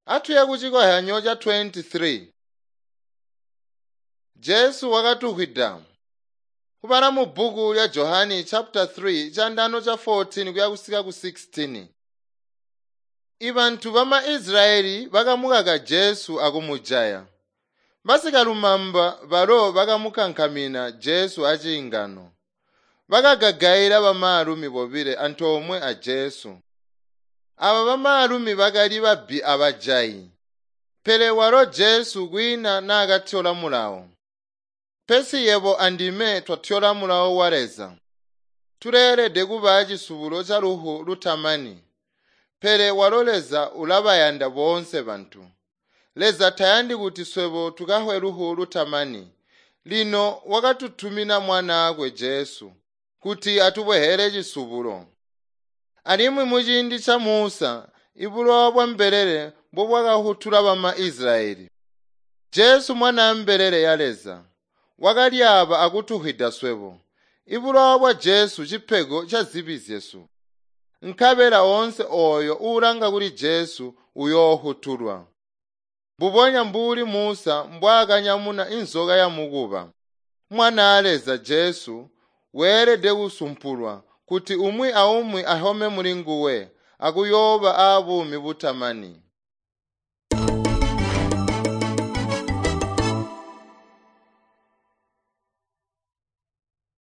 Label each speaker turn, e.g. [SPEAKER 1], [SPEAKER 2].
[SPEAKER 1] Atuye kucikozyanyo ca 23. Jesu wakatuhwida. Kubala mu bbuku lya Johani chapter 3 candano ca 14 kuya kusika ku 16. Ibantu bama Israyeli bakamukaka Jesu akumujaya. Basikalumamba balo bakamukankamina Jesu aciingano. Bakagagaila bamaalumi bobile antoomwe a Jesu. Aba bamaalumi bakali babbi abajayi. Pele walo Jesu kwiina naakatyola mulawo. Pesi yebo andime twatyola mulawo wa Leza. Tuleelede kuba cisubulo ca lufu lutamani. Pele walo Leza ulabayanda boonse bantu. Leza tayandi kuti swebo tukahwe lufu lutamani. Lino wakatutumina mwanaakwe Jesu kuti atubwehele cisubulo. Alimwi muciindi ca Musa, ibulowa bwa mbelele mbobwakahutula bama Israyeli. Jesu mwana mbelele ya Leza wakalyaaba akutuhwida swebo. Ibulowa bwa Jesu cipego ca zibi zyesu. Nkabela oonse ooyo uulanga kuli Jesu uyoohutulwa. Mbubonya mbuli Musa mbwaakanyamuna inzoka ya mukuba. Mwanaa Leza Jesu weelede kusumpulwa kuti umwi aumwi ahome muli nguwe akuyooba aabuumi butamani.